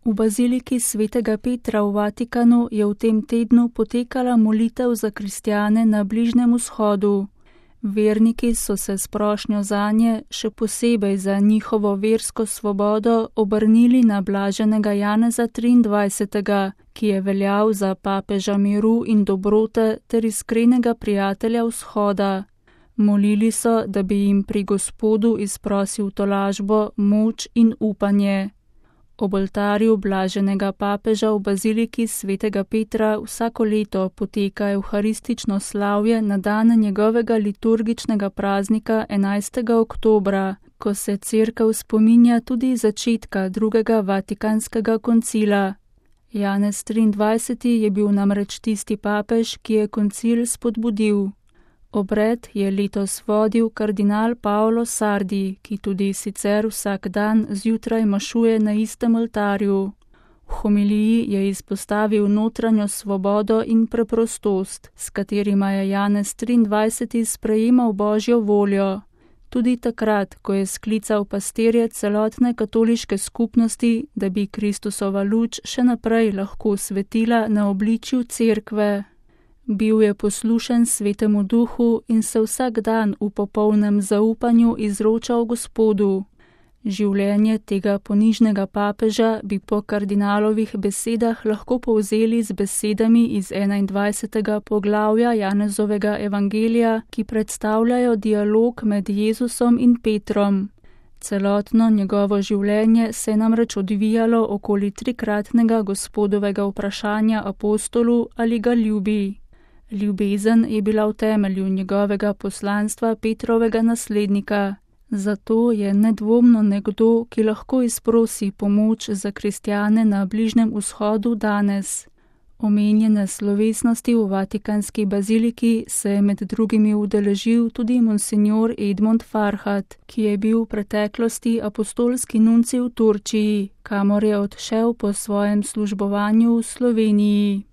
V baziliki svetega Petra v Vatikanu je v tem tednu potekala molitev za kristjane na Bližnjem vzhodu. Verniki so se s prošnjo zanje, še posebej za njihovo versko svobodo, obrnili na blaženega Janeza 23., ki je veljal za papeža miru in dobrote ter iskrenega prijatelja vzhoda. Molili so, da bi jim pri Gospodu izprosil tolažbo, moč in upanje. Ob oltarju blaženega papeža v baziliki svetega Petra vsako leto poteka evharistično slavje na dan njegovega liturgičnega praznika 11. oktobra, ko se cerkev spominja tudi začetka drugega vatikanskega koncila. Janez 23. je bil namreč tisti papež, ki je koncil spodbudil. Obred je letos vodil kardinal Paolo Sardi, ki tudi sicer vsak dan zjutraj mašuje na istem oltarju. V homiliji je izpostavil notranjo svobodo in preprostost, s katerima je Janez 23. sprejemal Božjo voljo. Tudi takrat, ko je sklical pastirje celotne katoliške skupnosti, da bi Kristusova luč še naprej lahko svetila na obličju cerkve. Bil je poslušen Svetemu Duhu in se vsak dan v popolnem zaupanju izročal Gospodu. Življenje tega ponižnega papeža bi po kardinalovih besedah lahko povzeli z besedami iz 21. poglavja Janezovega evangelija, ki predstavljajo dialog med Jezusom in Petrom. Celotno njegovo življenje se je namreč odvijalo okoli trikratnega Gospodovega vprašanja apostolu, ali ga ljubi. Ljubezen je bila v temelju njegovega poslanstva Petrovega naslednika. Zato je nedvomno nekdo, ki lahko izprosi pomoč za kristjane na Bližnjem vzhodu danes. Omenjene slovesnosti v Vatikanski baziliki se je med drugimi udeležil tudi monsignor Edmond Farhat, ki je bil v preteklosti apostolski nuncij v Turčiji, kamor je odšel po svojem službovanju v Sloveniji.